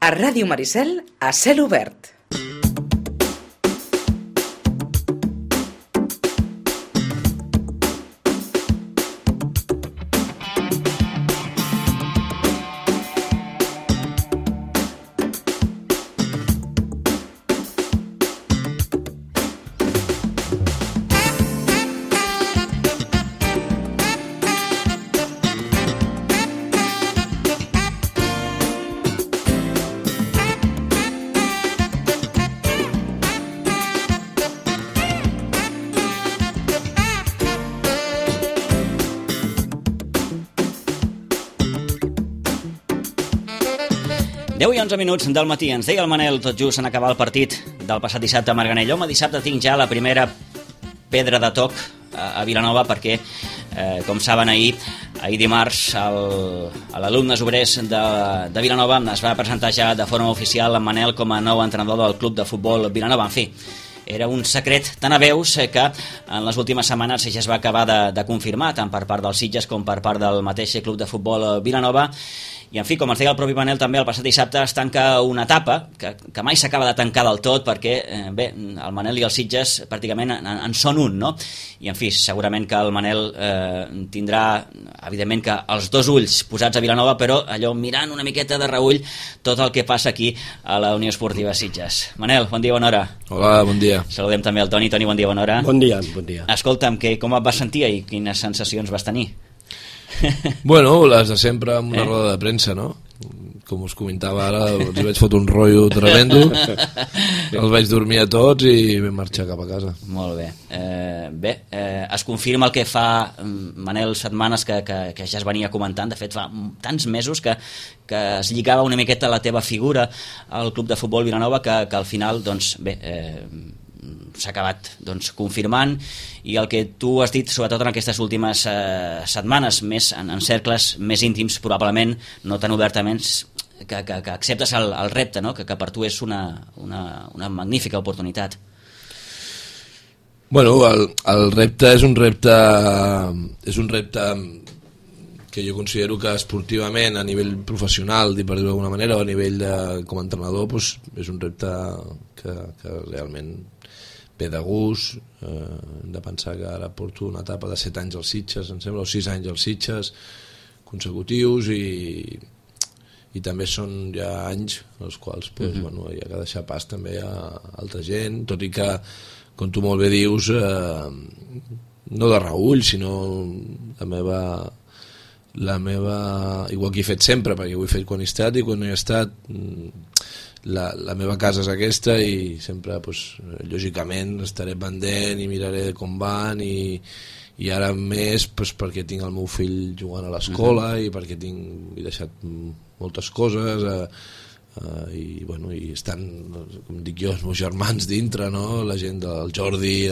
A Ràdio Maricel, a cel obert. I 11 minuts del matí. Ens deia el Manel tot just en acabar el partit del passat dissabte a Marganell. Home, dissabte tinc ja la primera pedra de toc a Vilanova perquè, com saben, ahir dimarts a l'Alumnes Obrers de Vilanova es va presentar ja de forma oficial en Manel com a nou entrenador del club de futbol Vilanova. En fi, era un secret tan a veus que en les últimes setmanes ja es va acabar de confirmar, tant per part dels Sitges com per part del mateix club de futbol Vilanova. I, en fi, com ens deia el propi Manel també, el passat dissabte es tanca una etapa que mai s'acaba de tancar del tot perquè, bé, el Manel i els Sitges pràcticament en són un, no? I, en fi, segurament que el Manel tindrà, evidentment, que els dos ulls posats a Vilanova, però allò mirant una miqueta de reüll tot el que passa aquí a la Unió Esportiva Sitges. Manel, bon dia, bona hora. Hola, bon dia. Saludem també el Toni. Toni, bon dia, bona hora. Bon dia, bon dia. Escolta'm, com et vas sentir i quines sensacions vas tenir? Bueno, les de sempre amb una roda de premsa, no? Com us comentava ara, els vaig fotre un rotllo tremendo, els vaig dormir a tots i vam marxar cap a casa. Molt bé. Es confirma el que fa, Manel, setmanes que ja es venia comentant. De fet, fa tants mesos que es lligava una miqueta la teva figura al club de futbol Vilanova que al final, doncs, bé, s'ha acabat confirmant, i el que tu has dit sobretot en aquestes últimes setmanes, més en cercles més íntims probablement, no tan obertament, que acceptes el repte, no? que per tu és una magnífica oportunitat. Bueno, el repte és un repte que jo considero que esportivament, a nivell professional, per dir-ho d'alguna manera, o a nivell com a entrenador, doncs, és un repte que realment ve de gust. Hem de pensar que ara porto una etapa de 7 anys als Sitges, em sembla, o 6 anys als Sitges consecutius, i també són ja anys els quals hi ha que deixar pas també a altra gent, tot i que, com tu molt bé dius, no de reüll, sinó la meva igual que he fet sempre, perquè ho he fet quan he estat i quan no he estat, la meva casa és aquesta, i sempre, lògicament, estaré pendent i miraré com van, i ara més perquè tinc el meu fill jugant a l'escola i perquè he deixat moltes coses, i estan, com dic jo, els meus germans dintre, no? La gent del Jordi,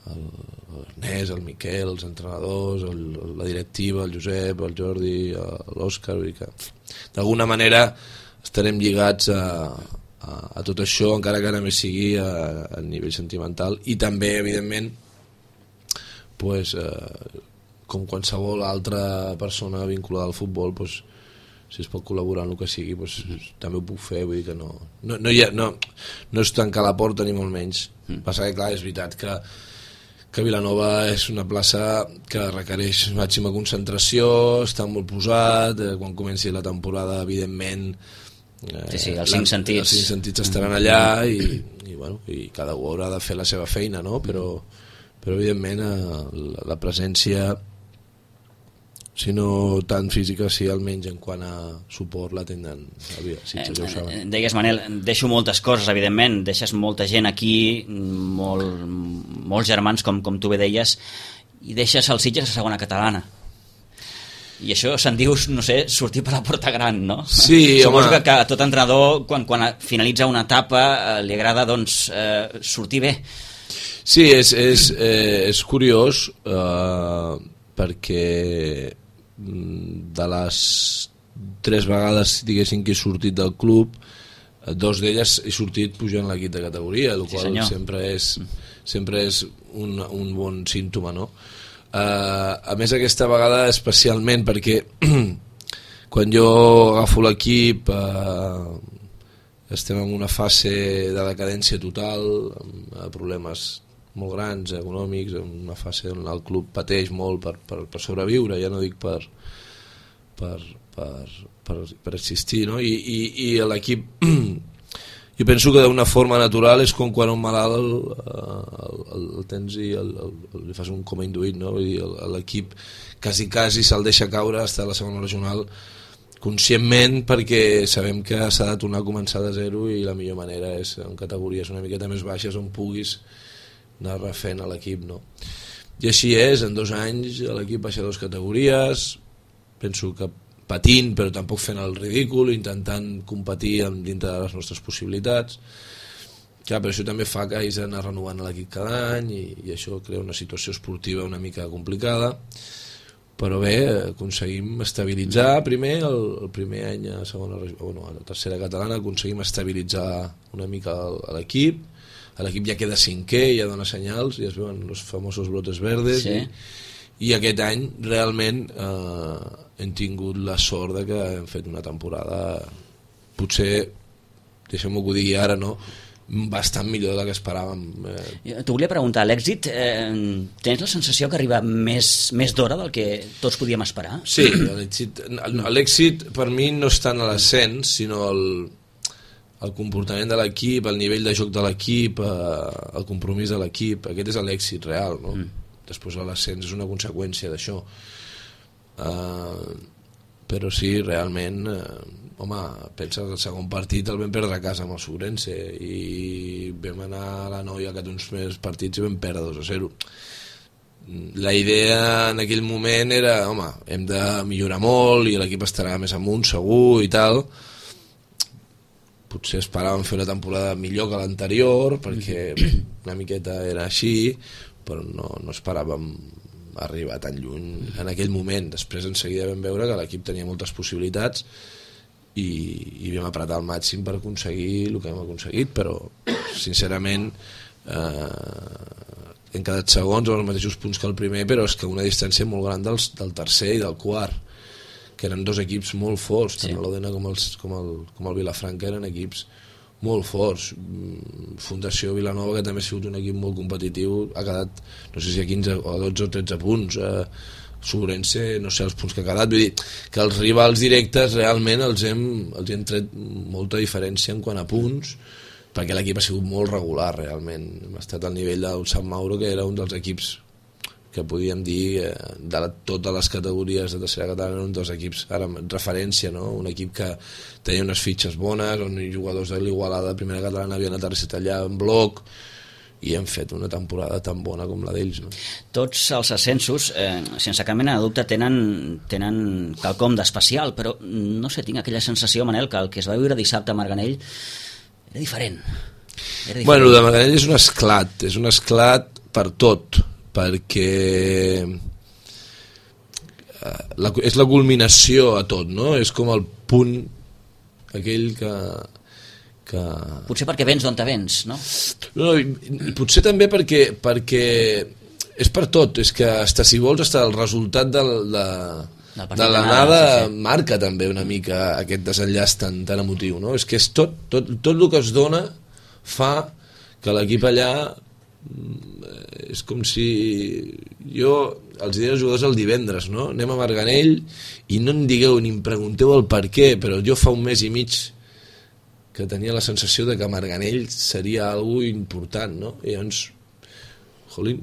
l'Ernest, el Miquel, els entrenadors, la directiva, el Josep, el Jordi, l'Òscar, que d'alguna manera estarem lligats a tot això, encara que només sigui a nivell sentimental, i també, evidentment, com qualsevol altra persona vinculada al futbol, si es pot col·laborar en el que sigui, també ho puc fer. Vull dir que no és tancar la porta ni molt menys. Passa que, clar, és veritat que Vilanova és una plaça que requereix màxima concentració, està molt posat, quan comenci la temporada, evidentment, els 5 sentits. Els 5 sentits estaran allà, i cada un haurà de fer la seva feina, no? Però evidentment la presència, si no tan física, sí, almenys en quant a suport, la tenen ja ho saben. Deies, Manel, deixo moltes coses, evidentment, deixes molta gent aquí, molts germans, com tu bé deies, i deixes els Sitges a segona catalana. I això se'n diu, no sé, sortir per la porta gran, no? Sí, suposo que a tot entrenador, quan finalitza una etapa, li agrada, doncs, sortir bé. Sí, és curiós, perquè de les 3 vegades, diguéssim, que he sortit del club, 2 d'elles he sortit pujant l'equip de categoria, el qual sempre és un bon símptoma, no? A més, aquesta vegada especialment perquè quan jo agafo l'equip estem en una fase de decadència total, amb problemes molt grans, econòmics, en una fase on el club pateix molt per sobreviure, ja no dic per existir, no? I l'equip, jo penso que d'una forma natural és com quan un malalt el tens i li fas un coma induït, no? Vull dir, l'equip quasi se'l deixa caure fins a la segona regional conscientment, perquè sabem que s'ha de tornar a començar de zero, i la millor manera és en categories una miqueta més baixes on puguis anar refent a l'equip, no? I així és, en 2 anys l'equip baixa 2 categories, penso que patint però tampoc fent el ridícul, intentant competir dintre de les nostres possibilitats. Clar, però això també fa que hagis d'anar renovant l'equip cada any, i això crea una situació esportiva una mica complicada, però bé, aconseguim estabilitzar primer, el primer any a la tercera catalana aconseguim estabilitzar una mica l'equip. L'equip ja queda 5è, ja dona senyals, ja es veuen els famosos brotes verdes, sí. I aquest any realment hem tingut la sort de que hem fet una temporada, potser, deixem-ho que ho digui ara, no? Bastant millor del que esperàvem. T'ho volia preguntar, l'èxit, tens la sensació que arriba més d'hora del que tots podíem esperar? Sí, l'èxit per mi no és tant a l'ascens, sinó el comportament de l'equip, el nivell de joc de l'equip, el compromís de l'equip. Aquest és l'èxit real, no? Després l'ascens és una conseqüència d'això, però sí, realment, home, pensa que el segon partit el vam perdre a casa amb el Sobrense, i vam anar a la Noia que té uns més partits i vam perdre 2-0. La idea en aquell moment era, home, hem de millorar molt i l'equip estarà més amunt segur i tal. Potser esperàvem fer una temporada millor que l'anterior, perquè una miqueta era així, però no esperàvem arribar tan lluny en aquell moment. Després en seguida vam veure que l'equip tenia moltes possibilitats i vam apretar al màxim per aconseguir el que hem aconseguit, però sincerament hem quedat segons amb els mateixos punts que el primer, però és que una distància molt gran del tercer i del quart, que eren 2 equips molt forts, tant l'Odena com el Vilafranca eren equips molt forts. Fundació Vilanova, que també ha sigut un equip molt competitiu, ha quedat, no sé si a 15 o 12 o 13 punts. Sobrense, no sé els punts que ha quedat. Vull dir que els rivals directes realment els hem tret molta diferència en quant a punts, perquè l'equip ha sigut molt regular realment. Hem estat al nivell del Sant Mauro, que era un dels equips que podíem dir de totes les categories de tercera catalana, un dels equips ara referència, no? Un equip que tenia unes fitxes bones, on jugadors de l'Igualada de primera catalana havien aterrissat allà en bloc, i hem fet una temporada tan bona com la d'ells, no? Tots els ascensos, sense cap mena de dubte, tenen quelcom d'especial, però no sé, tinc aquella sensació, Manel, que el que es va viure dissabte a Marganell era diferent. Bueno, el de Marganell és un esclat per tot, perquè és la culminació a tot, no? És com el punt aquell que... Potser perquè vens d'on te vens, no? No, potser també perquè és per tot, és que si vols el resultat de l'anada marca també una mica aquest desenllaç tan emotiu, no? És que és tot el que es dona fa que l'equip allà, és com si jo els diré als jugadors el divendres, no? Anem a Marganell i no em digueu ni em pregunteu el per què, però jo fa un mes i mig que tenia la sensació de que Marganell seria algo important, no? I llavors, jolín,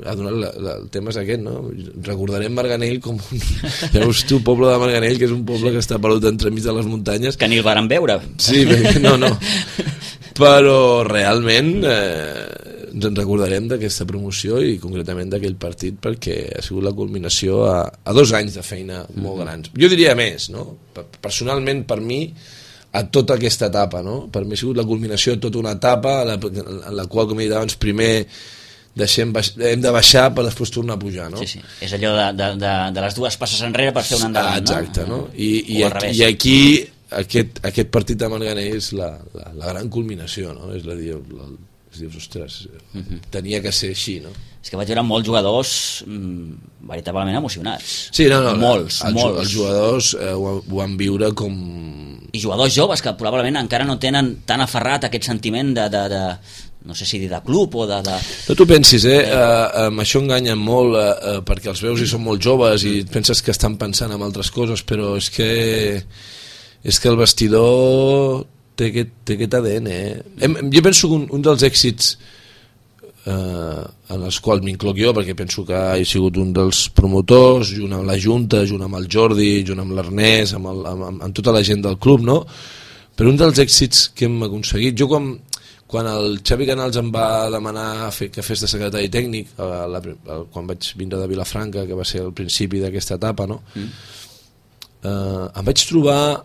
el tema és aquest, no? Recordarem Marganell com veus tu, poble de Marganell, que és un poble que està perdut entremig de les muntanyes, que ni el varen veure. Sí, no però realment ens en recordarem d'aquesta promoció i concretament d'aquell partit, perquè ha sigut la culminació a 2 anys de feina molt grans. Jo diria més, no? Personalment, per mi, a tota aquesta etapa, no? Per mi ha sigut la culminació de tota una etapa en la qual, com he dit abans, primer hem de baixar per després tornar a pujar, no? Sí. És allò de les 2 passes enrere per fer un endavant, no? Exacte, no? I aquí aquest partit de Marganell és la gran culminació, no? És a dir, dius, ostres, tenia que ser així, no? És que vaig veure molts jugadors veritablement emocionats. Sí, no, molts. Els jugadors ho van viure com... I jugadors joves que probablement encara no tenen tan aferrat aquest sentiment de no sé si dir de club o de... No t'ho pensis, amb això enganyen molt, perquè els veus i són molt joves i penses que estan pensant en altres coses, però és que el vestidor té aquest ADN. Jo penso que un dels èxits en els quals m'incloc jo, perquè penso que he sigut un dels promotors, junt amb la Junta, junt amb el Jordi, junt amb l'Ernest, amb tota la gent del club, no? Però un dels èxits que hem aconseguit, jo quan el Xavi Canals em va demanar que fes de secretari tècnic quan vaig vindre de Vilafranca, que va ser el principi d'aquesta etapa, no? Em vaig trobar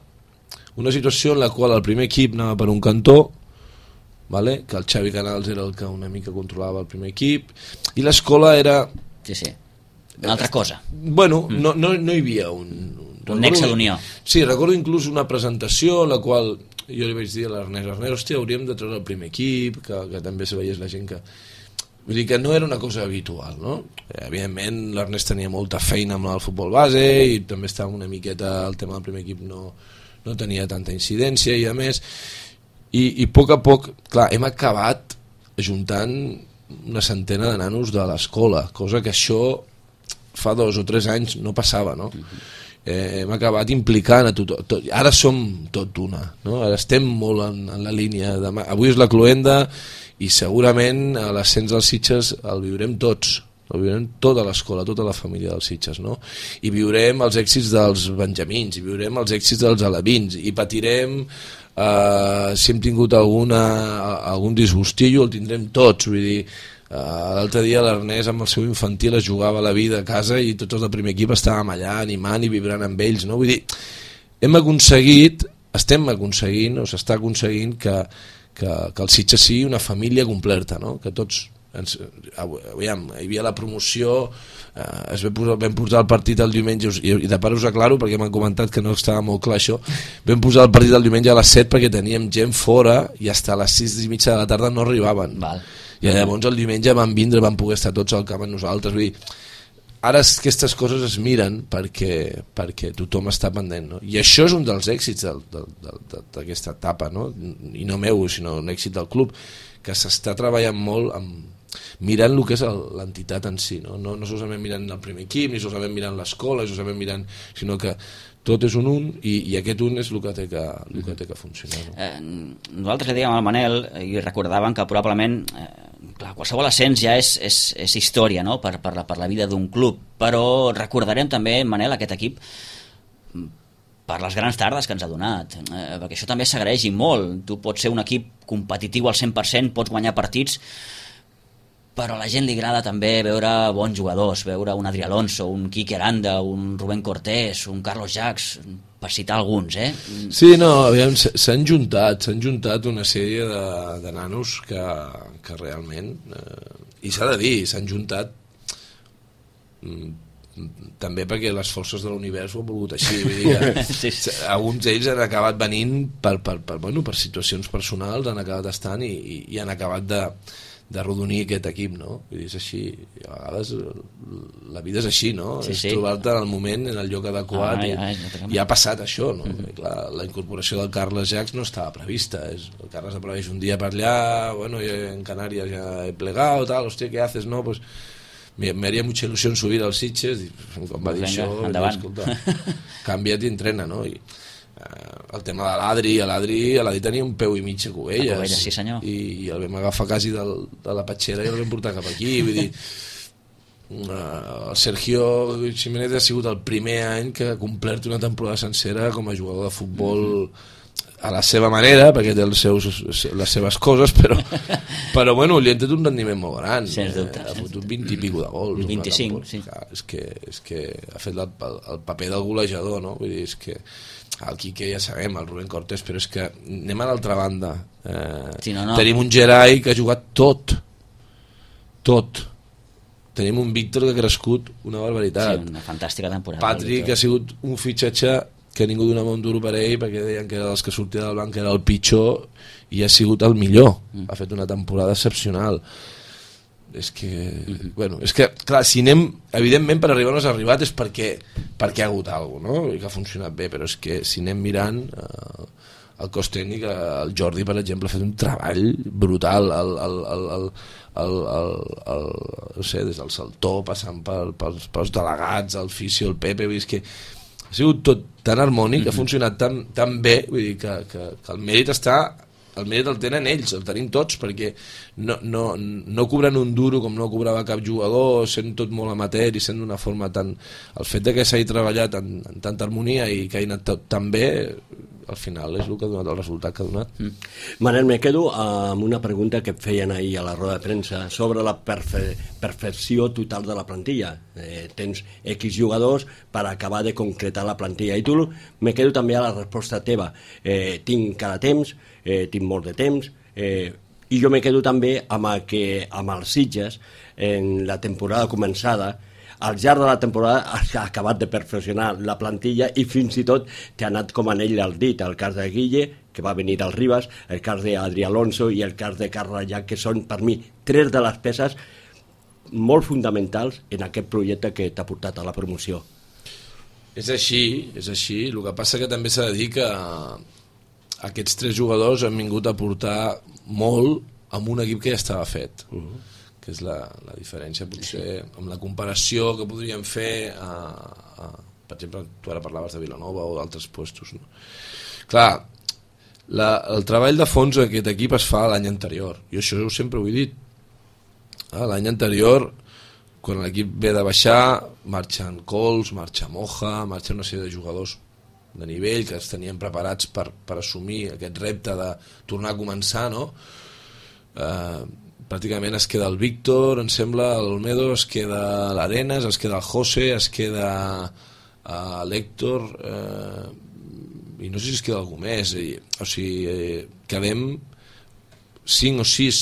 una situació en la qual el primer equip anava per un cantó, vale? Que el Xavi Canals era el que una mica controlava el primer equip, i l'escola era... Sí, una altra cosa. Bueno, no hi havia un nexe d'unió. Sí, recordo inclús una presentació en la qual jo li vaig dir a l'Ernest, hòstia, hauríem de treure el primer equip, que també se veiés la gent que... Vull dir que no era una cosa habitual, no? Evidentment, l'Ernest tenia molta feina amb el futbol base i també estava una miqueta, el tema del primer equip no tenia tanta incidència i a més, i a poc, clar, hem acabat ajuntant una centena de nanos de l'escola, cosa que això fa 2 o 3 anys no passava, no? Hem acabat implicant a tothom. Ara som tot una, no? Ara estem molt en la línia avui és la cloenda i segurament a l'ascens dels Sitges el viurem tots, el viurem tota l'escola, tota la família dels Sitges, no? I viurem els èxits dels benjamins, i viurem els èxits dels alevins, i patirem si hem tingut algun disgustillo, el tindrem tots, vull dir, l'altre dia l'Ernest amb el seu infantil es jugava la vida a casa i tots els del primer equip estàvem allà animant i vibrant amb ells, no? Vull dir, estem aconseguint o s'està aconseguint que el Sitges sigui una família completa, no? Que tots aviam, hi havia la promoció, vam posar el partit el diumenge i de part us aclaro perquè m'han comentat que no estava molt clar això, vam posar el partit el diumenge a les 7 perquè teníem gent fora i fins a les 6:30 de la tarda no arribaven. Val. I llavors el diumenge van poder estar tots al camp amb nosaltres. Vull dir, ara aquestes coses es miren perquè tothom està pendent, no? I això és un dels èxits d'aquesta etapa, no? I no meu, sinó un èxit del club, que s'està treballant molt mirant el que és l'entitat en si, no solament mirant el primer equip, ni solament mirant l'escola, sinó que tot és un i aquest un és el que té que funcionar, no? Nosaltres li dèiem al Manel i recordàvem que probablement clar, qualsevol ascens ja és història, no? per la vida d'un club, però recordarem també, Manel, aquest equip per les grans tardes que ens ha donat, perquè això també s'agraeix molt. Tu pots ser un equip competitiu al 100%, pots guanyar partits, però a la gent li agrada també veure bons jugadors, veure un Adri Alonso, un Quique Aranda, un Rubén Cortés, un Carlos Jacks, per citar alguns, Sí, no, aviam, s'han juntat una sèrie de nanos que realment, i s'ha de dir, s'han juntat també perquè les forces de l'univers ho han volgut així, vull dir que sí. Alguns d'ells han acabat venint per situacions personals, han acabat estant i han acabat de rodonir aquest equip, no? Vull dir, és així, a vegades la vida és així, no? Sí, és trobar-te en el moment, en el lloc adequat i ha passat això, no? Clar, la incorporació del Carles Jacks no estava prevista, el Carles apareix un dia per allà, bueno, en Canàries ja he plegat, tal, hòstia, què haces, no? Pues me haría mucha ilusión subir als Sitges i quan va dir això, escolta, canvia't i entrena, no? I el tema de l'Adri tenia un peu i mig a Cubelles, sí senyor, i el vam agafar quasi de la patxera i el vam portar cap aquí, vull dir, el Sergio Jiménez ha sigut el primer any que ha complert una temporada sencera com a jugador de futbol a la seva manera, perquè té les seves coses, però bueno, li han tret un rendiment molt gran, ha fotut 20 i pico de gols, 25, sí. És que ha fet el paper del golejador, no? Vull dir, és que el Quique ja sabem, el Rubén Cortés, però és que anem a l'altra banda, tenim un Gerai que ha jugat tot, tenim un Víctor que ha crescut una barbaritat, una fantàstica temporada, Patrick que ha sigut un fitxatge que ningú donava un duro per ell perquè deien que dels que sortia del banc era el pitjor i ha sigut el millor. Ha fet una temporada excepcional. És que, bueno, és que, clar, si anem, evidentment per arribar on has arribat és perquè ha hagut alguna cosa, no? I que ha funcionat bé, però és que si anem mirant el cos tècnic, el Jordi, per exemple, ha fet un treball brutal, no sé, des del Saltó, passant pels delegats, el Fisio, el Pepe, vull dir que ha sigut tot tan harmònic, ha funcionat tan bé, vull dir que el mèrit el tenen ells, el tenim tots, perquè no cobrant un duro com no cobrava cap jugador, sent tot molt amateur i sent d'una forma tan... El fet que s'hagi treballat en tanta harmonia i que hagi anat tot tan bé, al final és el que ha donat el resultat que ha donat. Manel, me quedo amb una pregunta que et feien ahir a la roda de premsa sobre la perfecció total de la plantilla. Tens X jugadors per acabar de concretar la plantilla, i tu me quedo també a la resposta teva. Tinc cada temps, tinc molt de temps, i jo me quedo també amb els Sitges en la temporada començada. Al llarg de la temporada ha acabat de perfeccionar la plantilla i fins i tot t'ha anat com anell al dit. El cas de Guille, que va venir del Ribas, el cas d'Adri Alonso i el cas de Carles Llach, que són per mi 3 de les peces molt fonamentals en aquest projecte que t'ha portat a la promoció. És així. El que passa que també s'ha de dir que aquests 3 jugadors han vingut a portar molt amb un equip que ja estava fet. Que és la diferència potser amb la comparació que podríem fer per exemple, tu ara parlaves de Vilanova o d'altres puestos, no? Clar, el treball de fons d'aquest equip es fa l'any anterior, i això sempre ho he dit. L'any anterior, quan l'equip ve de baixar, marxen Cols, marxa Moja, marxa una sèrie de jugadors de nivell que es tenien preparats per assumir aquest repte de tornar a començar, no? Pràcticament es queda el Víctor, em sembla, l'Olmedo, es queda l'Arenas, es queda el José, es queda l'Héctor, i no sé si es queda algú més. O sigui, quedem 5 o 6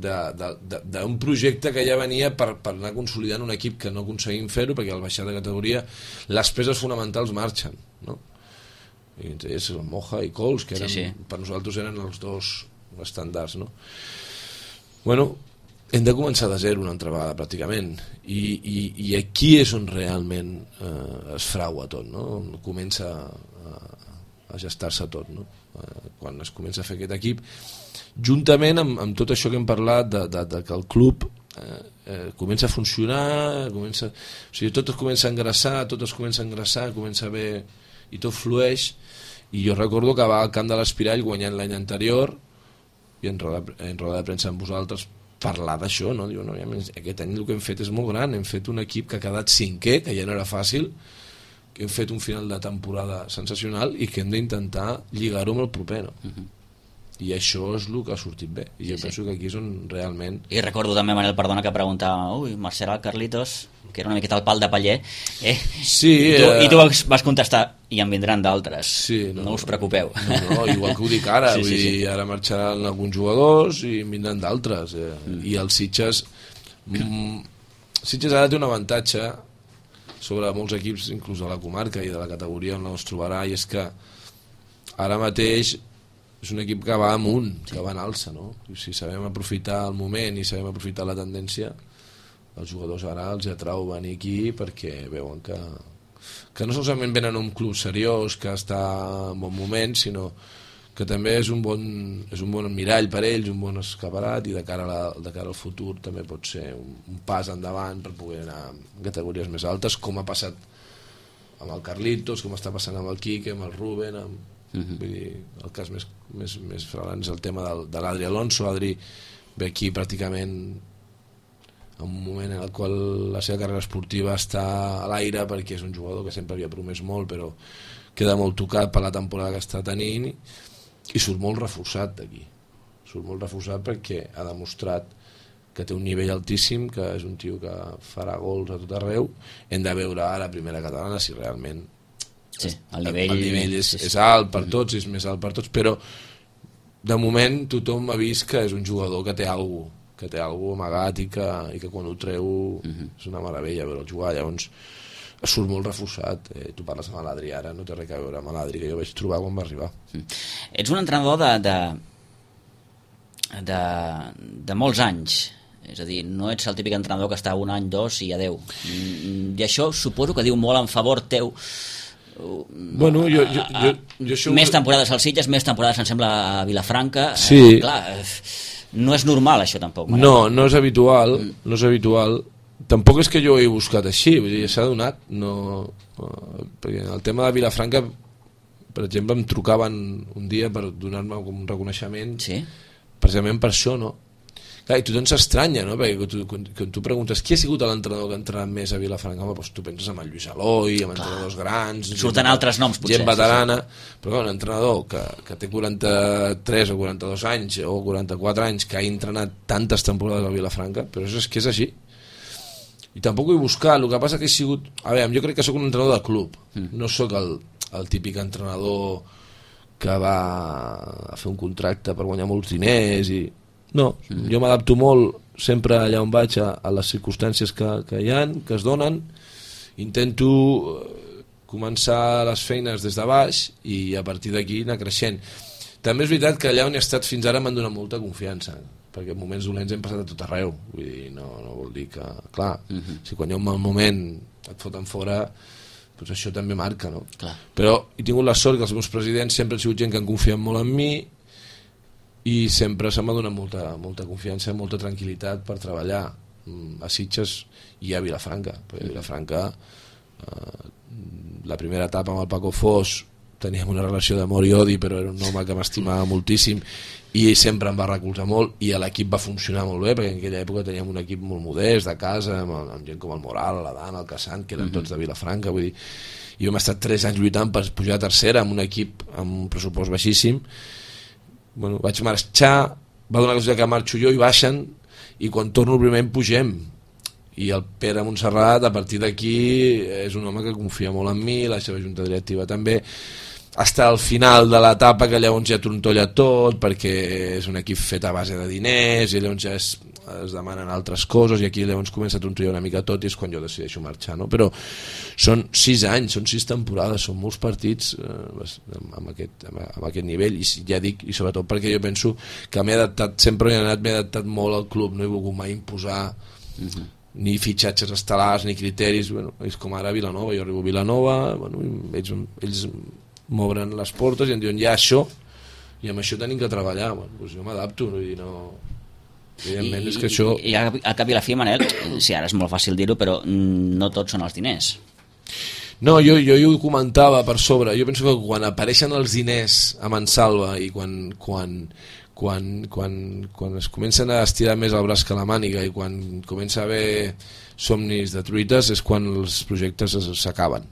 d'un projecte que ja venia per anar consolidant un equip que no aconseguim fer-ho, perquè al baixar de categoria les peces fonamentals marxen, no? I és el Moja i Cols, que eren, per nosaltres eren els 2 estàndards, no? Bueno, hem de començar de zero una altra vegada pràcticament, i aquí és on realment es fraua tot, no? On comença a gestar-se tot, no? Quan es comença a fer aquest equip, juntament amb tot això que hem parlat de que el club comença a funcionar, o sigui, tot es comença a engrassar, comença bé i tot flueix. I jo recordo que va al camp de l'Espirall guanyant l'any anterior, i en roda de premsa amb vosaltres parlar d'això, no? Diu, no, aquest any el que hem fet és molt gran, hem fet un equip que ha quedat 5è, que ja no era fàcil, que hem fet un final de temporada sensacional i que hem d'intentar lligar-ho amb el proper, no? I això és el que ha sortit bé, i jo penso que aquí és on realment... I recordo també, Manel, perdona, que preguntava Marcel Carlitos, que era una miqueta el pal de paller, sí, i tu vas contestar, i en vindran d'altres, sí, no us preocupeu. No, igual que ho dic ara, vull dir, ara marxaran alguns jugadors i en vindran d'altres, i el Sitges ara té un avantatge sobre molts equips, inclús de la comarca i de la categoria on es trobarà, i és que ara mateix és un equip que va amunt, que va en alça, no? I si sabem aprofitar el moment i sabem aprofitar la tendència, els jugadors ara els atrau venir aquí perquè veuen que no solament venen a un club seriós que està en bon moment, sinó que també és un bon mirall per ells, un bon escaparat, i de cara al futur també pot ser un pas endavant per poder anar a categories més altes, com ha passat amb el Carlitos, com està passant amb el Quique, amb el Ruben, vull dir, el cas més flagrant és el tema de l'Adri Alonso. Adri ve aquí pràcticament en un moment en el qual la seva carrera esportiva està a l'aire, perquè és un jugador que sempre havia promès molt, però queda molt tocat per la temporada que està tenint, i surt molt reforçat d'aquí, perquè ha demostrat que té un nivell altíssim, que és un tio que farà gols a tot arreu. Hem de veure ara a primera catalana si realment el nivell és alt per tots, és més alt per tots, però de moment tothom ha vist que és un jugador que té alguna amagat, i que quan ho treu és una meravella veure jugar. Llavors surt molt reforçat. Tu parles amb l'Adri ara, no té res a veure amb l'Adri que jo vaig trobar quan va arribar. Ets un entrenador de molts anys, és a dir, no ets el típic entrenador que està un any, dos i adeu. I això suposo que diu molt en favor teu. Bueno, jo més temporades al Sitges, més temporades em sembla a Vilafranca. Sí. Clar, no és normal això tampoc. No és habitual, no és habitual. Tampoc és que jo ho he buscat així, vull dir, s'ha donat, perquè el tema de Vilafranca, per exemple, em trucaven un dia per donar-me un reconeixement, sí? Precisament per això, no? Clar, i tothom s'estranya, no? Perquè quan tu preguntes qui ha sigut l'entrenador que ha entrenat més a Vilafranca, home, doncs tu penses en el Lluís Eloi, en entrenadors grans, surten altres noms, potser, gent veterana, però un entrenador que té 43 o 42 anys o 44 anys, que ha entrenat tantes temporades a Vilafranca, però és que és així. I tampoc ho he buscat, el que passa que he sigut... A veure, jo crec que sóc un entrenador de club, no sóc el típic entrenador que va a fer un contracte per guanyar molts diners i... No, jo m'adapto molt sempre allà on vaig a les circumstàncies que hi ha, que es donen, intento començar les feines des de baix i a partir d'aquí anar creixent. També és veritat que allà on he estat fins ara m'han donat molta confiança, perquè en moments dolents hem passat a tot arreu, vull dir, no vol dir que, clar, si quan hi ha un mal moment et foten fora, doncs això també marca, no? Clar. Però he tingut la sort que els meus presidents sempre han sigut gent que han confiat molt en mi i sempre se m'ha donat molta confiança, molta tranquil·litat per treballar a Sitges i a Vilafranca, perquè a Vilafranca la primera etapa amb el Paco Fos teníem una relació d'amor i odi, però era un home que m'estimava moltíssim i sempre em va recolzar molt i l'equip va funcionar molt bé, perquè en aquella època teníem un equip molt modest de casa, amb gent com el Moral, l'Adan, el Casant, que eren tots de Vilafranca, vull dir, i hem estat 3 anys lluitant per pujar a tercera amb un equip amb un pressupost baixíssim. Bueno, vaig marxar, va donar cosa que marxo jo i baixen, i quan torno el primer pugem, i el Pere Montserrat a partir d'aquí és un home que confia molt en mi, la seva junta directiva també, està al final de l'etapa que llavors ja trontolla tot perquè és un equip fet a base de diners i llavors ja es demanen altres coses i aquí llavors comença a trontollar una mica tot i és quan jo decideixo marxar, no? Però són 6 anys, són 6 temporades, són molts partits amb aquest nivell i ja dic, i sobretot perquè jo penso que m'he adaptat, sempre m'he adaptat molt al club, no he volgut mai imposar ni fitxatges estel·lars ni criteris, bueno, és com ara a Vilanova, jo arribo a Vilanova, bueno, ells m'obren les portes i em diuen ja això i amb això tenim que treballar, bueno, doncs jo m'adapto i no... evidentment és que això... I al cap i la fi, Manel, sí, ara és molt fàcil dir-ho, però no tots són els diners. No, jo ho comentava per sobre, jo penso que quan apareixen els diners a Mansalva i quan es comencen a estirar més el braç que la màniga i quan comença a haver somnis de truites és quan els projectes s'acaben.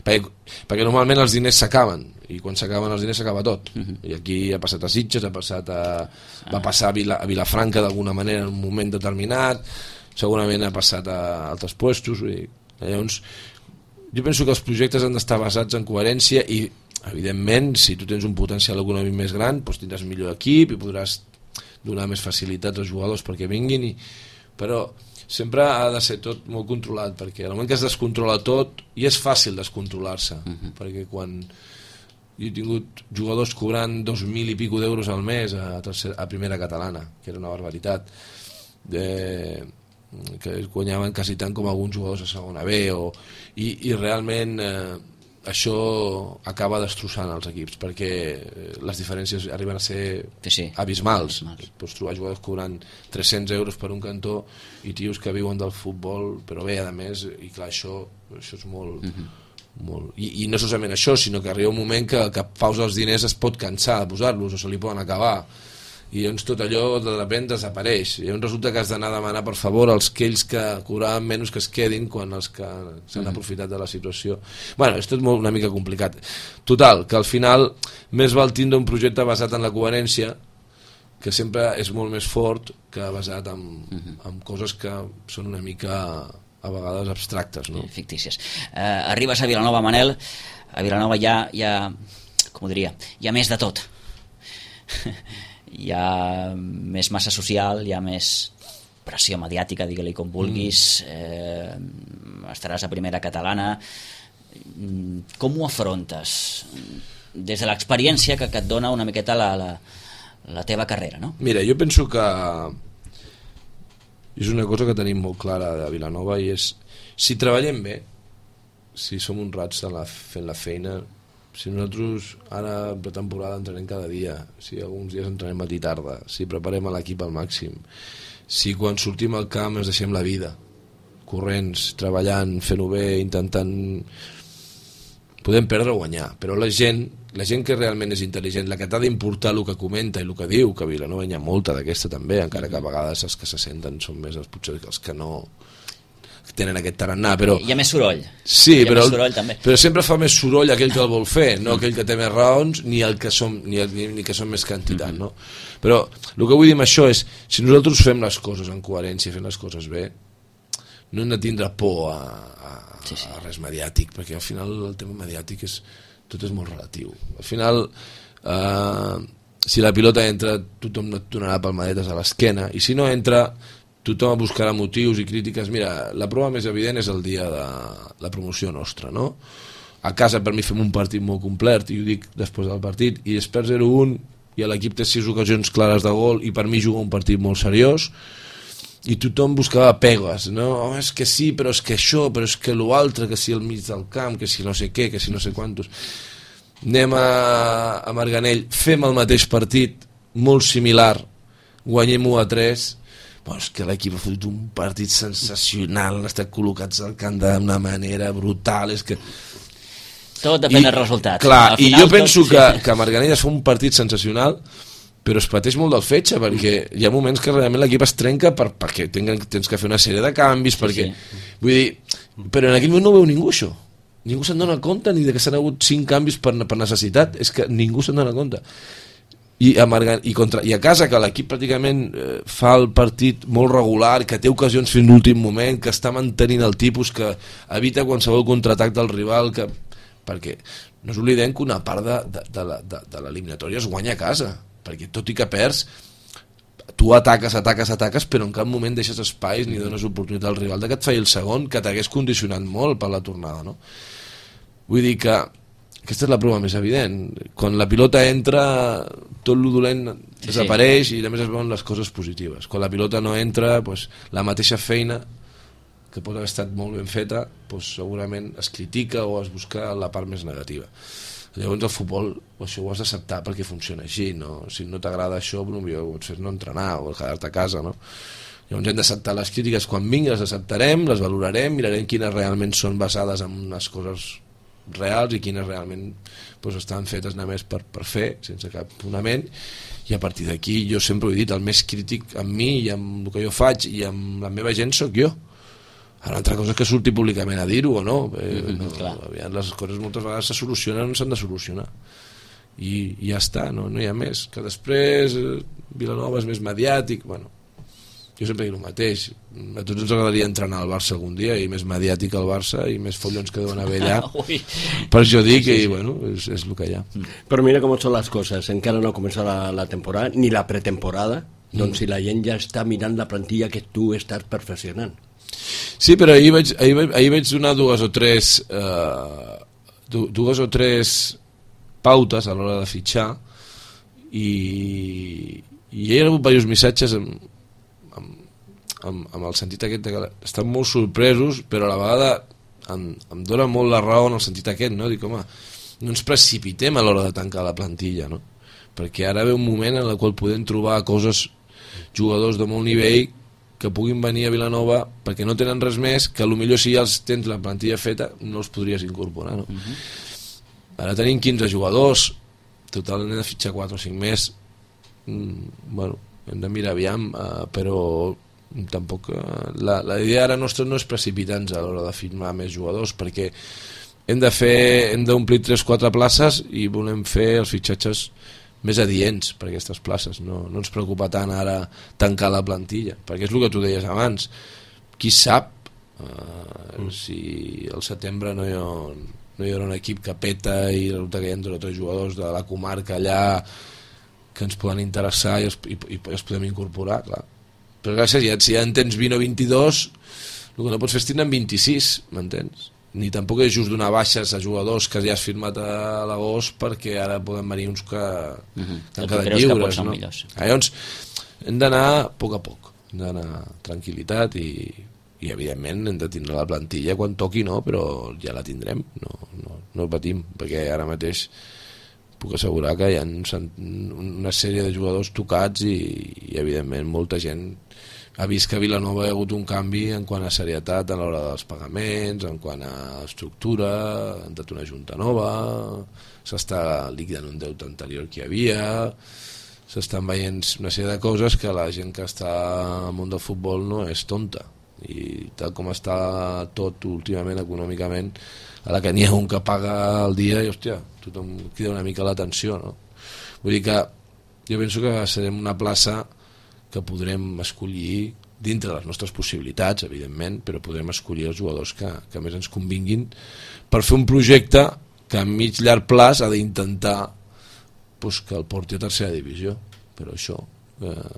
Perquè normalment els diners s'acaben i quan s'acaben els diners s'acaba tot. I aquí ha passat a Sitges, va passar a Vilafranca d'alguna manera en un moment determinat, segurament ha passat a altres puestos. Llavors, jo penso que els projectes han d'estar basats en coherència i evidentment, si tu tens un potencial econòmic més gran, doncs tindràs millor equip i podràs donar més facilitats als jugadors perquè vinguin, però sempre ha de ser tot molt controlat, perquè al moment que es descontrola tot, i és fàcil descontrolar-se, perquè quan jo he tingut jugadors cobrant 2.000 i pico d'euros al mes a primera catalana, que era una barbaritat, que guanyaven quasi tant com alguns jugadors a segona B, i realment... això acaba destrossant els equips perquè les diferències arriben a ser abismals. Pots trobar jugadors cobrant 300 euros per un cantó i tios que viuen del futbol, però bé, a més, i clar, això és molt... I no solament això, sinó que arriba un moment que pausa els diners es pot cansar de posar-los o se li poden acabar i llavors tot allò de repente desapareix i llavors resulta que has d'anar a demanar per favor als aquells que cobraven menys que es quedin quan els que s'han aprofitat de la situació. Bueno, és tot una mica complicat. Total, que al final més val tindre un projecte basat en la coherència, que sempre és molt més fort que basat en coses que són una mica a vegades abstractes, no? Fictícies. Arribes a Vilanova, Manel, a Vilanova hi ha com ho diria, hi ha més de tot. Hi ha més massa social, hi ha més pressió mediàtica, digue-li com vulguis, estaràs a primera catalana. Com ho afrontes des de l'experiència que et dona una miqueta la teva carrera, no? Mira, jo penso que és una cosa que tenim molt clara de Vilanova, i és, si treballem bé, si som honrats fent la feina, si nosaltres ara en pretemporada entrenem cada dia, si alguns dies entrenem matí i tarda, si preparem l'equip al màxim, si quan sortim al camp ens deixem la vida, corrents, treballant, fent-ho bé, intentant... Podem perdre o guanyar, però la gent que realment és intel·ligent, la que t'ha d'importar el que comenta i el que diu, que a Vilanova hi ha molta d'aquesta també, encara que a vegades els que se senten són més potser els que no tenen aquest tarannà, però... Hi ha més soroll. Sí, hi ha més soroll, també. Però sempre fa més soroll aquell que el vol fer, no aquell que té més raons, ni el que som, ni que som més quantitat, no? Però el que vull dir amb això és, si nosaltres fem les coses en coherència, fem les coses bé, no hem de tindre por a res mediàtic, perquè al final el tema mediàtic tot és molt relatiu. Al final, si la pilota entra, tothom no et donarà palmadetes a l'esquena, i si no entra, tothom buscarà motius i crítiques. Mira, la prova més evident és el dia de la promoció nostra, no? A casa per mi fem un partit molt complet, i ho dic després del partit, i després 0-1, i l'equip té 6 ocasions clares de gol, i per mi juga un partit molt seriós, i tothom buscava pegues, no? Oh, és que sí, però és que això, però és que l'altre, que si al mig del camp, que si no sé què, que si no sé quantos. Anem a Marganell, fem el mateix partit, molt similar, guanyem 1-3, però és que l'equip ha fet un partit sensacional, han estat col·locats al camp d'una manera brutal, és que... Tot depèn del resultat. Clar, i jo penso que Marganell es fa un partit sensacional, però es pateix molt del fetge, perquè hi ha moments que realment l'equip es trenca perquè tens que fer una sèrie de canvis, perquè... Vull dir, però en aquell moment no veu ningú això. Ningú se'n dona compte ni que s'han hagut 5 canvis per necessitat, és que ningú se'n dona compte. I a casa, que l'equip pràcticament fa el partit molt regular, que té ocasions fins l'últim moment, que està mantenint el tipus, que evita qualsevol contraatac del rival, perquè no ens oblidem que una part de l'eliminatòria es guanya a casa, perquè tot i que perds, tu ataques, però en cap moment deixes espais ni dones oportunitat al rival de que et faci el segon, que t'hagués condicionat molt per la tornada, no? Vull dir que aquesta és la prova més evident. Quan la pilota entra, tot lo dolent desapareix i només es veuen les coses positives. Quan la pilota no entra, doncs, la mateixa feina que pot haver estat molt ben feta, doncs, segurament es critica o es busca la part més negativa. Llavors el futbol això ho has d'acceptar perquè funciona així, no? Si no t'agrada això, el millor ho pots fer no entrenar o quedar-te a casa, no? Llavors hem d'acceptar les crítiques, quan vinguin les acceptarem, les valorarem, mirarem quines realment són basades en unes coses reals i quines realment doncs, estan fetes només per fer, sense cap fonament, i a partir d'aquí jo sempre ho he dit, el més crític amb mi i amb el que jo faig i amb la meva gent sóc jo. Ara, altra cosa és que surti públicament a dir-ho o no. Les coses moltes vegades se solucionen o no s'han de solucionar. I ja està, no hi ha més. Que després Vilanova és més mediàtic. Bueno, jo sempre dic el mateix. A tots ens agradaria entrenar al Barça algun dia, i més mediàtic al Barça i més follons que deuen haver allà. Per això dic que bueno, és el que hi ha. Però mira com són les coses. Encara no ha començat la temporada, ni la pretemporada. Doncs si la gent ja està mirant la plantilla que tu estàs perfeccionant. Sí, però ahir vaig donar dues o tres pautes a l'hora de fitxar, i hi ha hagut diversos missatges amb el sentit aquest que estan molt sorpresos, però a la vegada em dona molt la raó en el sentit aquest, no? Dic, home, no ens precipitem a l'hora de tancar la plantilla, no? Perquè ara ve un moment en el qual podem trobar jugadors de molt nivell que puguin venir a Vilanova perquè no tenen res més, que potser si ja els tens la plantilla feta no els podries incorporar, no? Ara tenim 15 jugadors, total hem de fitxar 4 o 5 més. Bueno, hem de mirar aviam, però tampoc la idea ara nostra no és precipitar-nos a l'hora de firmar més jugadors, perquè hem d'omplir 3-4 places i volem fer els fitxatges més adients per aquestes places. No ens preocupa tant ara tancar la plantilla, perquè és el que tu deies abans. Qui sap si al setembre no hi haurà un equip que peta i resulta que hi ha 2 o 3 jugadors de la comarca allà que ens poden interessar i els podem incorporar, clar. però clar, si ja en tens 20 o 22, el que no pots fer és tindre 26, m'entens? Ni tampoc és just donar baixes a jugadors que ja has firmat a l'agost perquè ara poden venir uns que han quedat lliures, no? Llavors hem d'anar a poc, hem d'anar tranquil·litat i evidentment hem de tindre la plantilla quan toqui, no? Però ja la tindrem, no patim, perquè ara mateix puc assegurar que hi ha una sèrie de jugadors tocats i evidentment molta gent ha vist que a Vilanova hi ha hagut un canvi en quant a serietat a l'hora dels pagaments, en quant a estructura, han dat una junta nova, s'està liquidant un deute anterior que hi havia, s'estan veient una sèrie de coses que la gent que està al món del futbol no és tonta, i tal com està tot últimament econòmicament, a la que n'hi ha un que paga el dia i hòstia, tothom crida una mica l'atenció, no? Vull dir que jo penso que serem una plaça que podrem escollir dintre les nostres possibilitats, evidentment, però podrem escollir els jugadors que més ens convinguin per fer un projecte que a mig llarg plaç ha d'intentar que el porti a tercera divisió, però això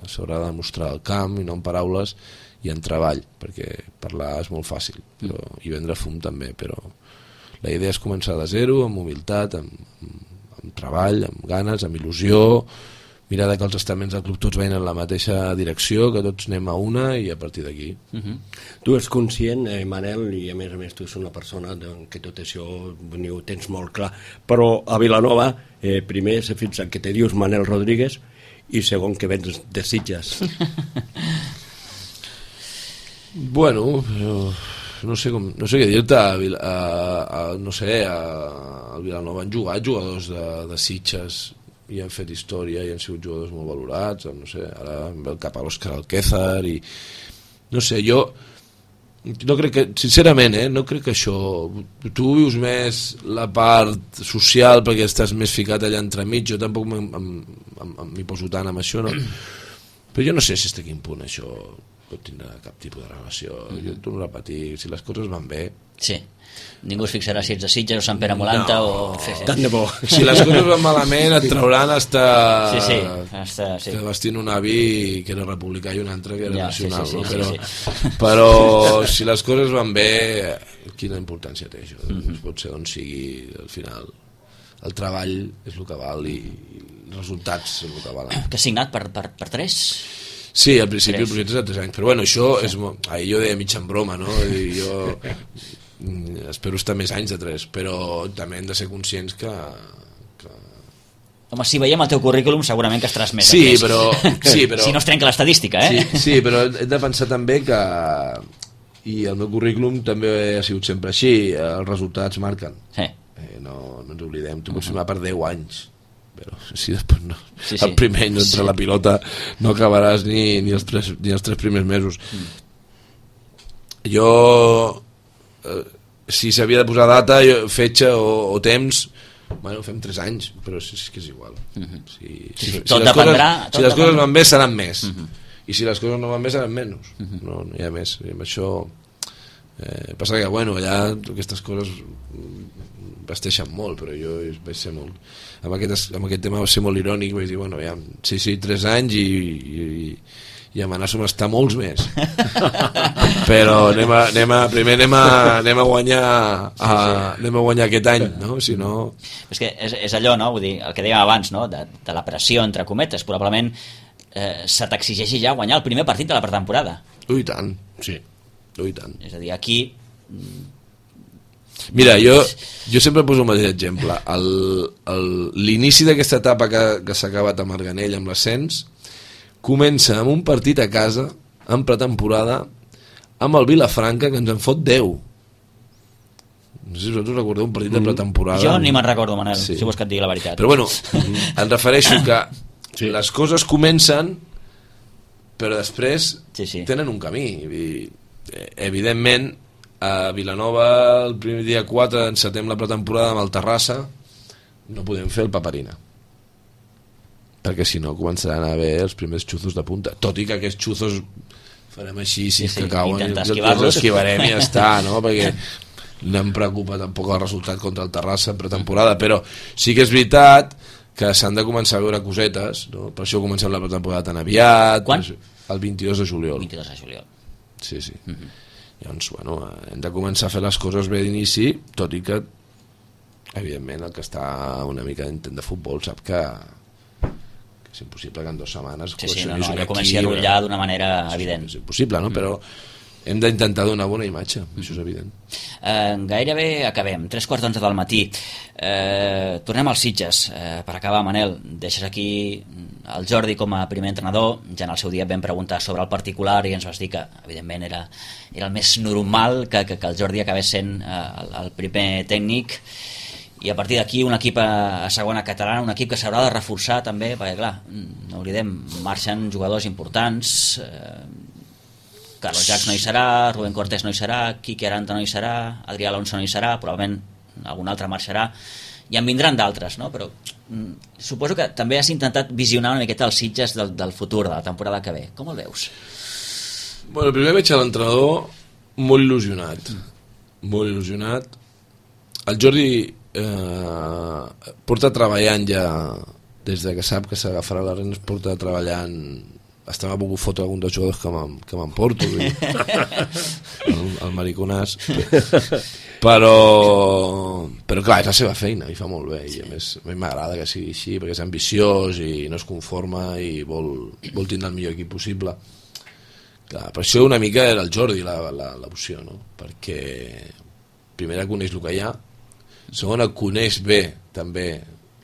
s'haurà de demostrar al camp i no en paraules i en treball, perquè parlar és molt fàcil i vendre fum també, però la idea és començar de zero, amb humilitat, amb treball, amb ganes, amb il·lusió, mirar que els estaments del club tots veien en la mateixa direcció, que tots anem a una i a partir d'aquí. Tu ets conscient, Manel, i a més tu ets una persona que tot això ho tens molt clar, però a Vilanova primer se fixa que te dius Manel Rodríguez i segon que vens de Sitges. Bueno, no sé què dir-te, no sé, al Vilanova han jugat jugadors de Sitges i han fet història i han sigut jugadors molt valorats, no sé, ara em ve el cap a l'Òscar Alquézar i no sé, jo no crec que, sincerament, no crec que això, tu vius més la part social perquè estàs més ficat allà entremig, jo tampoc m'hi poso tant amb això, no? Però jo no sé si a quin punt això pot tindre cap tipus de relació, jo et torno a repetir, si les coses van bé, sí, ningú es fixarà si ets de Sitges o Sant Pere Molanta tant de bo. Si les coses van malament et trauran estar vestint un avi que era republicà i un altre que era nacional, però si les coses van bé, quina importància té això? Pot ser on sigui, al final el treball és el que val i els resultats és el que valen. Que has signat per 3? Sí, al principi el projecte és de 3 anys, però bueno, això és jo deia mig en broma, no? I jo espero estar més anys de 3, però també hem de ser conscients que... Home, si veiem el teu currículum segurament que estaràs més sí, però si no es trenca l'estadística, Sí, però hem de pensar també que i el meu currículum també ha sigut sempre així, els resultats marquen, no ens oblidem, tu pots firmar per 10 anys, però si després no, el primer any no entra la pilota no acabaràs ni els 3 primers mesos. Jo si s'havia de posar data, fetge o temps, bueno, fem 3 anys, però és que és igual. Si les coses van bé seran més, i si les coses no van bé seran menys, no hi ha més. I amb això passa que bueno, allà aquestes coses vesteixen molt, però jo vaig ser molt amb aquest tema vaig ser molt irònic, vaig dir, bueno, ja, sí, 3 anys i amenaço estar molts més però primer anem a guanyar aquest any, no? Si no... És que és allò, no? Vull dir, el que dèiem abans, no? De la pressió entre cometes, probablement se t'exigeixi ja guanyar el primer partit de la pretemporada. I tant, sí, i tant. És a dir, aquí... Mira, jo sempre poso el mateix exemple. L'inici d'aquesta etapa que s'ha acabat a Marganell amb l'ascens comença amb un partit a casa en pretemporada amb el Vilafranca, que ens en fot 10. No sé si vosaltres recordeu un partit de pretemporada. Jo ni me'n recordo, Manel, si vols que et digui la veritat. Però bueno, em refereixo que les coses comencen, però després tenen un camí. Evidentment, a Vilanova el primer dia 4 encetem la pretemporada amb el Terrassa, no podem fer el Paperina, perquè si no començaran a haver els primers xuzos de punta, tot i que aquests xuzos farem així, que cauen els esquivarem i ja està, no? Perquè no em preocupa tampoc el resultat contra el Terrassa en pretemporada, però sí que és veritat que s'han de començar a veure cosetes, no? Per això comencem la temporada tan aviat. Quan? El 22 de juliol. 22 de juliol. Sí. Llavors, bueno, hem de començar a fer les coses bé d'inici, tot i que, evidentment, el que està una mica d'intent de futbol sap que és impossible que en 2 setmanes allò comenci a rotllar d'una manera evident. És impossible, no? Però hem d'intentar donar bona imatge, això és evident. Gairebé acabem, 3:15 del matí. Tornem als Sitges. Per acabar, Manel, deixes aquí el Jordi com a primer entrenador. Ja en el seu dia et vam preguntar sobre el particular i ens vas dir que, evidentment, era el més normal que el Jordi acabés sent el primer tècnic. I a partir d'aquí un equip a segona catalana, un equip que s'haurà de reforçar també, perquè clar, no oblidem, marxen jugadors importants, Carlos Jacs no hi serà, Rubén Cortés no hi serà, Quique Aranta no hi serà, Adrià Alonso no hi serà, probablement algun altre marxarà, i en vindran d'altres, no? Però suposo que també has intentat visionar una miqueta els Sitges del futur, de la temporada que ve. Com el veus? Bueno, primer veig a l'entrenador molt il·lusionat. Molt il·lusionat. El Jordi porta treballant ja, des de que sap que s'agafarà les renes, porta treballant. Hasta m'ha pogut fotre algun dels jugadors que m'emporto, el mariconàs, però clar, és la seva feina i fa molt bé, i a més a mi m'agrada que sigui així perquè és ambiciós i no es conforma i vol tindre el millor equip possible. Clar, per això una mica era el Jordi l'opció, no? Perquè primera coneix el que hi ha, segona coneix bé també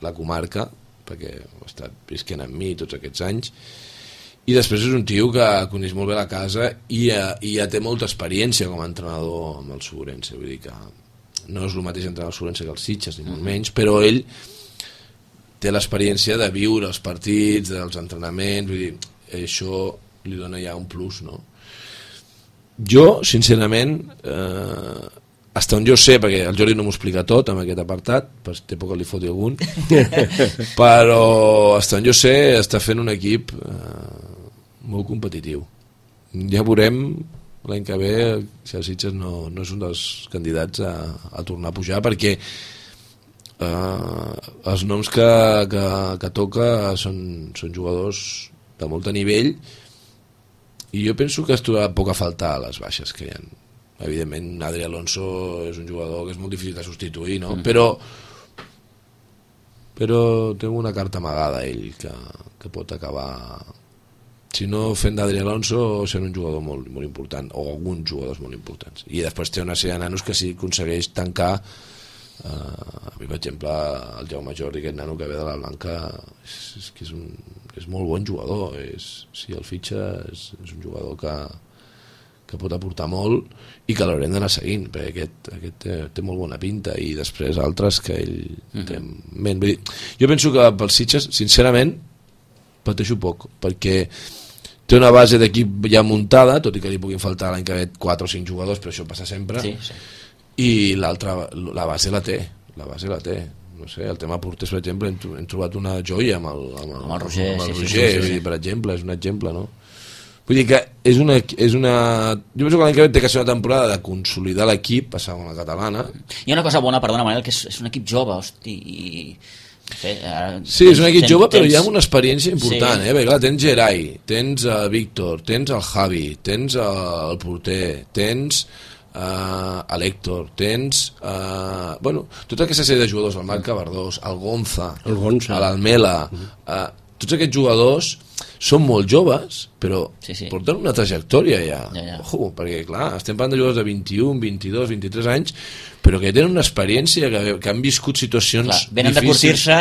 la comarca, perquè ha estat visquent amb mi tots aquests anys, i després és un tio que coneix molt bé la casa i ja té molta experiència com a entrenador amb el Segurense, vull dir que no és el mateix entrenar el Segurense que els Sitges, ni molt menys, però ell té l'experiència de viure els partits, dels entrenaments, vull dir, això li dona ja un plus, no? Jo, sincerament, fins on jo sé, perquè el Jordi no m'ho explica tot en aquest apartat, té por que li foti algun, però fins on jo sé està fent un equip molt competitiu. Ja veurem l'any que ve si el Sitges no és un dels candidats a tornar a pujar, perquè els noms que toca són jugadors de molt nivell i jo penso que es trobarà poc a faltar a les baixes que hi ha. Evidentment Adrià Alonso és un jugador que és molt difícil de substituir, no? Però té una carta amagada ell que pot acabar, si no fent d'Adrià Alonso, sent un jugador molt, molt important, o alguns jugadors molt importants. I després té una sèrie de nanos que si aconsegueix tancar, a mi per exemple el Jaume Jordi, aquest nano que ve de la Blanca, és molt bon jugador, si el fitxa és un jugador que pot aportar molt i que l'haurem d'anar seguint, perquè aquest té molt bona pinta, i després altres que ell té ment. Jo penso que pels Sitges, sincerament, pateixo poc, perquè té una base d'equip ja muntada, tot i que li puguin faltar l'any que ve 4 o 5 jugadors, però això passa sempre, i l'altra, la base la té, no sé, el tema porters, per exemple, hem trobat una joia amb el Roger, per exemple, és un exemple, no? Vull dir que és una... Jo penso que l'any que ve té que ser una temporada de consolidar l'equip, passar a la catalana. Hi ha una cosa bona, perdona Manel, que és un equip jove, hosti, sí, és un equip jove, però hi ha una experiència important, perquè clar, tens Gerai, tens Víctor, tens el Javi, tens el porter, tens l'Héctor, tens tota aquesta sèrie de jugadors, el Marc Cabardós, el Gonza, l'Almela, tots aquests jugadors són molt joves, però porten una trajectòria ja. Ojo, perquè clar, estem parlant de jugadors de 21, 22, 23 anys, però que tenen una experiència, que han viscut situacions difícils. Venen de curtir-se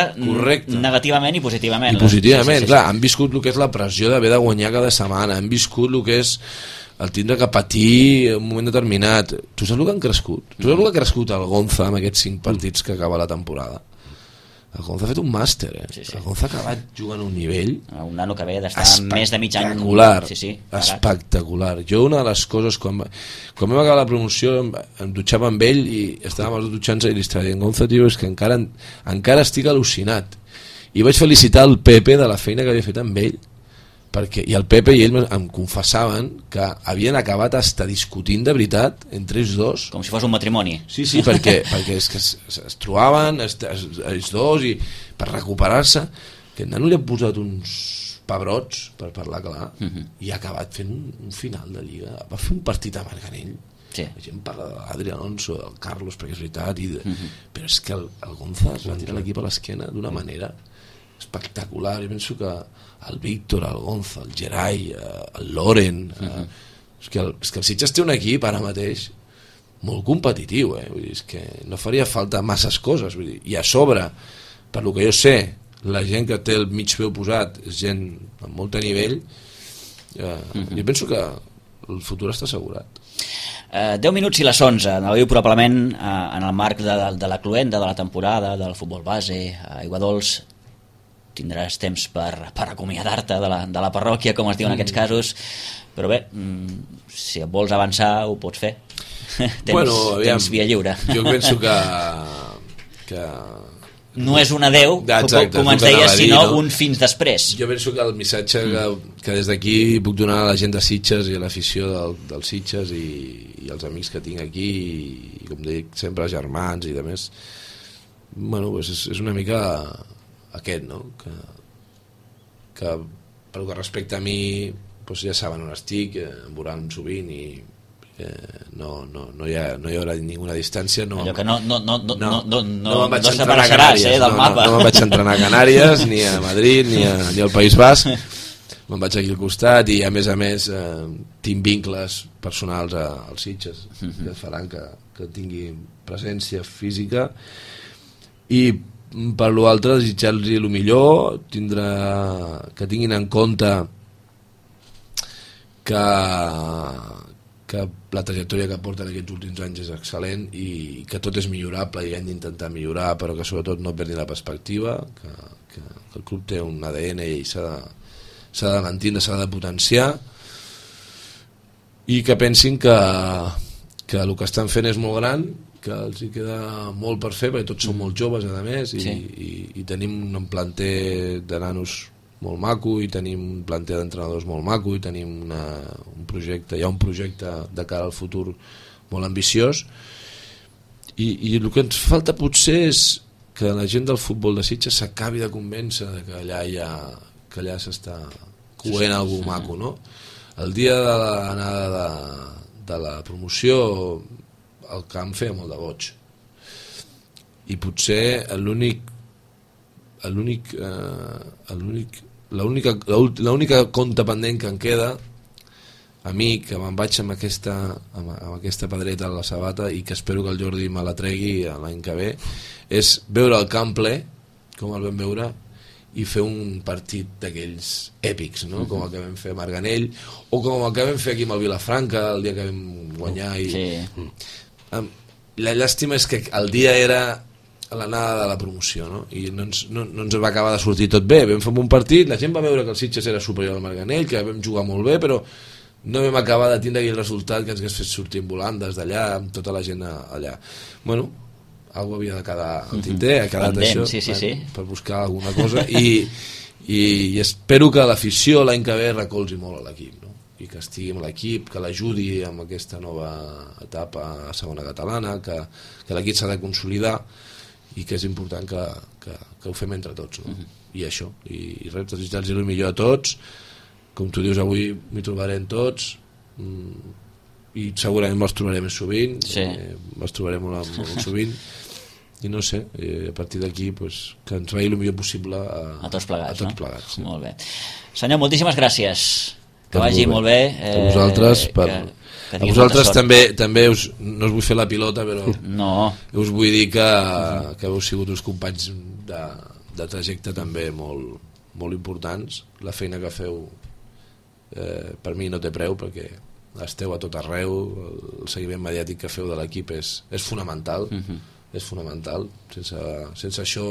negativament i positivament. I positivament, clar, han viscut el que és la pressió d'haver de guanyar cada setmana, han viscut el que és el tindre que patir en un moment determinat. Tu saps el que han crescut? Tu saps el que ha crescut el Gonza amb aquests 5 partits que acaba la temporada? El Gonza ha fet un màster, El Gonza ha acabat jugant a un nivell... Un nano que ve d'estar més de mig any... Espectacular. Jo una de les coses, quan vam acabar la promoció, em dutxava amb ell i estàvem els dos dutxant-se i li estava dient, Gonza, tio, és que encara estic al·lucinat. I vaig felicitar el Pepe de la feina que havia fet amb ell, perquè, i el Pepe i ell em confessaven que havien acabat hasta discutint de veritat entre ells dos, com si fos un matrimoni. sí, perquè és que es trobaven ells dos i per recuperar-se, que el nano li ha posat uns pebrots, per parlar clar, i ha acabat fent un final de Lliga. Va fer un partit a Marganell, la gent parla de l'Adri Alonso, del Carlos, perquè és veritat, però és que el Gonza es va tirar l'equip a l'esquena d'una manera espectacular. Jo penso que el Víctor, el Gonza, el Gerai, el Loren, és que el Sitges té un equip ara mateix molt competitiu, vull dir, és que no faria falta masses coses, vull dir, i a sobre, per lo que jo sé, la gent que té el mig peu posat és gent amb molt nivell, jo penso que el futur està assegurat. 10 minuts i les 11, anàveu probablement en el marc de la cluenda de la temporada del futbol base a Aiguadols. Tindràs temps per acomiadar-te de la parròquia, com es diu en aquests casos, però bé, si et vols avançar ho pots fer. Tens via lliure. Jo penso que no és un adeu, com ens deies, sinó un fins després. Jo penso que el missatge que des d'aquí puc donar a la gent de Sitges i a l'afició dels Sitges i els amics que tinc aquí i com dic, sempre germans i de més, bueno, és una mica aquest, no? Que pel que respecta a mi, doncs ja saben on estic, em veuran sovint i no hi haurà ninguna distància. Allò que no me'n vaig separar a Canàries del mapa. No me'n vaig entrenar a Canàries, ni a Madrid, ni al País Basc. Me'n vaig aquí al costat i a més tinc vincles personals als Sitges que faran que tingui presència física, i per l'altre desitjar-los el millor, que tinguin en compte que la trajectòria que porten aquests últims anys és excel·lent i que tot és millorable i hem d'intentar millorar, però que sobretot no perdin la perspectiva, que el club té un ADN i s'ha de mantenir, s'ha de potenciar, i que pensin que el que estan fent és molt gran, que els hi queda molt per fer, perquè tots són molt joves a més, i tenim un planter de nanos molt maco, i tenim un planter d'entrenadors molt maco, i tenim un projecte de cara al futur molt ambiciós, i el que ens falta potser és que la gent del futbol de Sitges s'acabi de convèncer que allà s'està coent algú maco, no? El dia de l'anada de la promoció el camp feia molt de goig, i potser l'única compte pendent que em queda a mi, que me'n vaig amb aquesta pedreta a la sabata i que espero que el Jordi me la tregui l'any que ve, és veure el camp ple com el vam veure i fer un partit d'aquells èpics, no? Com el que vam fer a Marganell o com el que vam fer aquí amb el Vilafranca el dia que vam guanyar la llàstima és que el dia era a l'anada de la promoció, no? I no ens va acabar de sortir tot bé. Vam fer un partit, la gent va veure que el Sitges era superior al Marganell, que vam jugar molt bé, però no vam acabar de tindre aquell resultat que ens hagués fet sortir volant des d'allà, amb tota la gent allà. Bueno, algú havia de quedar al tinter, ha quedat això, per buscar alguna cosa, i espero que l'afició l'any que ve recolzi molt a l'equip, no? I que estigui amb l'equip, que l'ajudi amb aquesta nova etapa a segona catalana, que l'equip s'ha de consolidar, i que és important que ho fem entre tots, no? I això, i res, desitjar-los el millor a tots, com tu dius, avui m'hi trobarem tots, i segurament me'ls trobarem més sovint, me'ls trobarem molt sovint, i no sé, a partir d'aquí pues, que ens vagi el millor possible a tots plegats, Molt bé. Senyor, moltíssimes gràcies, que vagi molt bé. A vosaltres, a vosaltres també no us vull fer la pilota, però us vull dir que heu sigut uns companys de trajecte també molt importants. La feina que feu per mi no té preu, perquè esteu a tot arreu, el seguiment mediàtic que feu de l'equip és fonamental, és fonamental. Sense això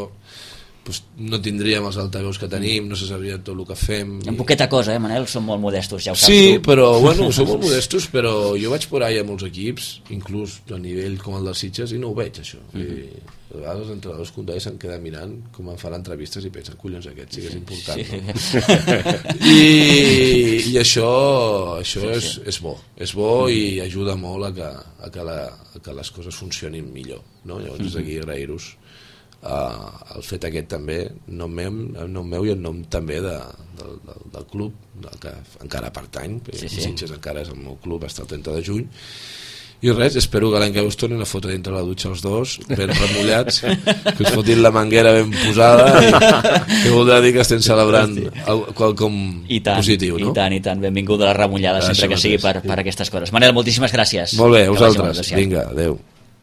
pues, no tindríem els altaveus que tenim, no se sabria tot el que fem. En poqueta cosa, Manel? Som molt modestos, ja ho saps Sí, tu. però bueno, som molt modestos, però jo vaig por ahí a molts equips, inclús a nivell com el dels Sitges, i no ho veig, això. I a vegades els entrenadors contraris se'n queden mirant com em fan entrevistes i pensen, collons, aquest sí que és important. No? I això és bo. És bo i ajuda molt a que les coses funcionin millor. No? Llavors, des d'aquí agrair-vos el fet aquest també, en nom meu i en nom també del club, que encara pertany, Sitges encara és el meu club, està el 30 de juny, i res, espero que l'any que us tornin a fotre dintre la dutxa els dos, ben remullats, que us fotin la manguera ben posada, que voldrà dir que estem celebrant quelcom positiu, no? I tant, benvinguda la remullada sempre que sigui per aquestes coses. Manel, moltíssimes gràcies. Molt bé, a vosaltres, vinga, adeu.